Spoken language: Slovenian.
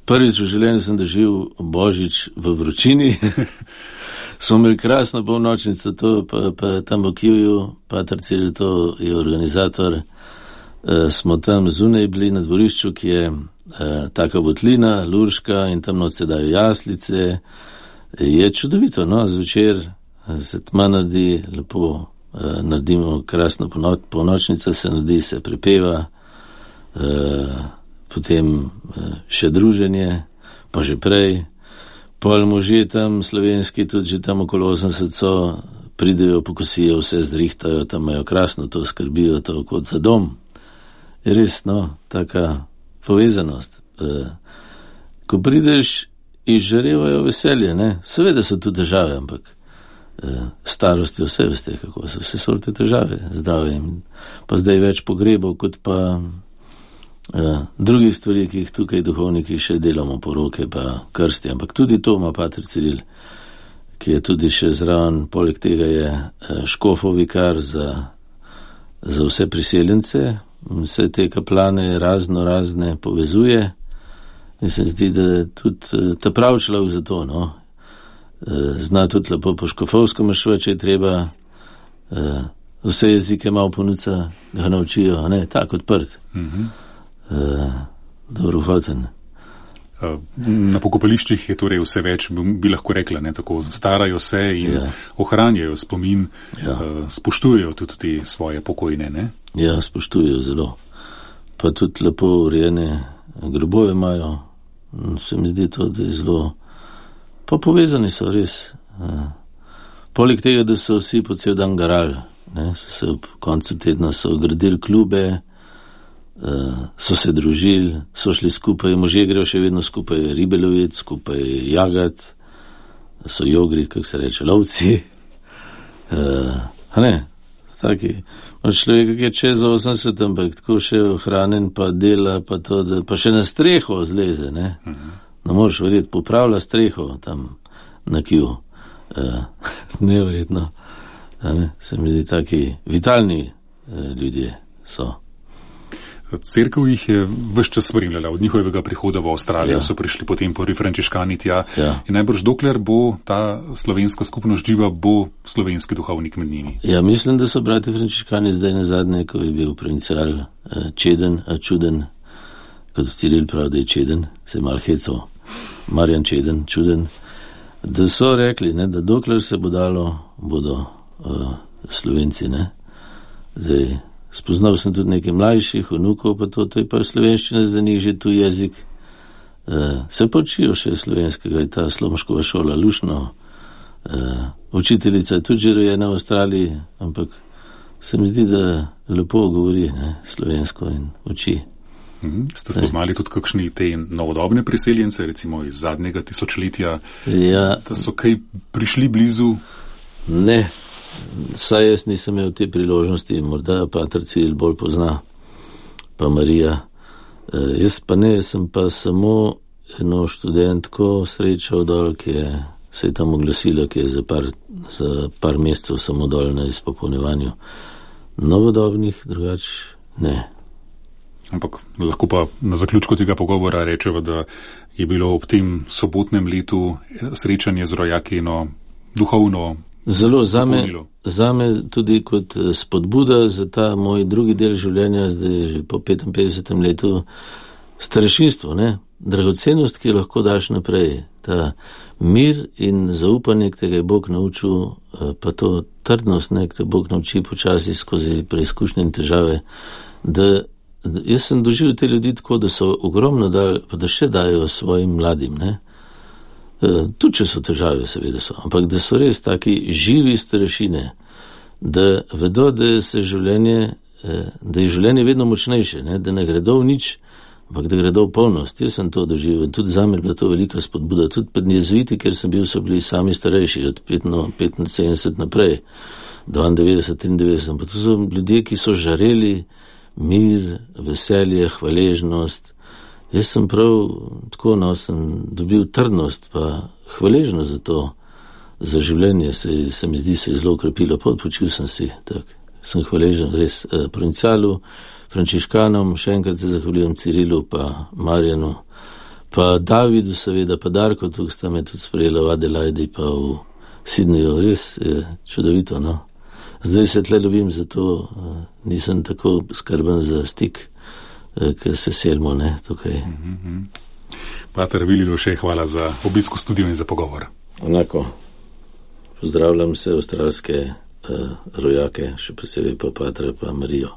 Prvič v življenju sem doživel Božič v vročini. Smo imeli krasno polnočnico, to pa tam v Kivju, Pater Ciril, to je organizator. Smo tam zunaj bili na dvorišču, ki je taka votlina, lurška in tam noč se dajo jaslice. Je čudovito, no, zvečer se tma naredi, lepo naredimo krasno polnočnico, se naredi, se prepeva, potem še druženje, pa že prej. Pol možje tam slovenski, tudi že tam okolo 80 pridejo, pokosijo, vse zrihtajo, tam imajo krasno to, skrbijo to kot za dom. Je res, no, taka povezanost. Ko prideš, izžarevajo veselje, ne. Seveda so tu težave, ampak starostjo vse veste, kako so vse sorte težave, zdravjem. Pa zdaj več pogrebov, kot pa drugih stvari, ki jih tukaj duhovniki še delamo, poroke pa krsti, ampak tudi to ima Pater Ciril, ki je tudi še zraven, poleg tega je škofov vikar za vse priseljence, vse te kaplane razne povezuje in se zdi, da je tudi ta prav človek za to, no. Zna tudi lepo po škofovsko mašva, če je treba, vse jezike malo ponuca, ga naučijo, ne, tak odprt. Dobrohoten. Na pokopališčih je torej vse več, bi lahko rekla, ne, tako starajo se in ohranjajo spomin, spoštujejo tudi te svoje pokojne, ne? Ja, spoštujejo zelo. Pa tudi lepo urejene grobove imajo. Se mi zdi to, da je zelo, pa povezani so res. Poleg tega, da so vsi po cel dan garali, ne, so se ob koncu tedna so gradili klube, so se družili, so šli skupaj, možje grejo še vedno skupaj ribe lovit, skupaj jagat, so jogri, kako se reče, lovci. A ne, taki, človek, ki je čez 80, ampak tako še ohranjen, pa dela, pa to, da, pa še na streho zleze, ne. No, moraš verjeti, popravlja streho tam na Kiju. Neverjetno. Se mi zdi taki vitalni ljudje so. Cerkev jih je ves čas spremljala, od njihovega prihoda v Avstralijo so prišli potem prvi frančiškani tja in najbrž dokler bo ta slovenska skupnost živa, bo slovenski duhovnik med njimi. Ja, mislim, da so brati frančiškani zdaj nazadnje, ko je bil provincial čeden, čuden, kot Ciril pravi, da je čeden, se je mal hecov, Marjan čeden, čuden, da so rekli, ne, da dokler se bo dalo, bodo Slovenci, ne. Zdaj, spoznal sem tudi nekaj mlajših, vnukov, pa to je pa slovenščina za njih že tu jezik. Se pa učijo še slovenskega, je ta Slomškova šola, lušno. Učiteljica je tudi že rojena v Avstraliji, ampak se mi zdi, da lepo govori, ne, slovensko in uči. Ste spoznali tudi kakšni te novodobne priseljence, recimo iz zadnjega tisočletja, da so kaj prišli blizu? Ne. Saj jaz nisem imel te priložnosti, morda Pater Ciril bolj pozna, pa Marija. Jaz pa ne, sem pa samo eno študentko srečal dol, ki se je tam oglasila, ki je za par mesecev samo dol na izpopolnjevanju. Novodobnih drugač ne. Ampak lahko pa na zaključku tega pogovora rečeva, da je bilo ob tem sobotnem letu srečanje z rojaki duhovno zelo zame tudi kot spodbuda za ta moj drugi del življenja, zdaj že po 55. letu, starešinstvo, ne, dragocenost, ki jo lahko daš naprej, ta mir in zaupanje, ki te ga je Bog naučil, pa to trdnost, ne, ki te Bog nauči počasi skozi preizkušnje in težave, da jaz sem doživel te ljudi tako, da so ogromno dali, pa da še dajo svojim mladim, ne. Tudi, če so težave, seveda so, ampak da so res taki živi starešine, da vedo, da je življenje vedno močnejše, ne? Da ne gredo v nič, ampak da gredo v polnost. Jaz sem to doživel in tudi zame je bila to velika spodbuda. Tudi pred jezuiti, kjer sem bil, so bili sami starejši, od 75 naprej, 92, 93, pa to so ljudje, ki so žareli mir, veselje, hvaležnost. Jaz sem prav tako, no, sem dobil trdnost pa hvaležnost za to, za življenje, se mi zdi, se je zelo ukrepilo, odpočil sem si, tak. Sem hvaležen res provincialu, frančiškanom, še enkrat se zahvaljujem Cirilu pa Marjanu, Pa Davidu seveda, pa Darko, tukaj sta me tudi sprejela v Adelaidi, pa v Sydneyju, res je čudovito, no. Zdaj se tle ljubim, zato nisem tako skrben za stik, ker se selimo, ne, tukaj. Pater Vili Lovše, hvala za obisk v studiu in za pogovor. Enako. Pozdravljam vse avstralske rojake, še posebej pa Patra pa Marijo.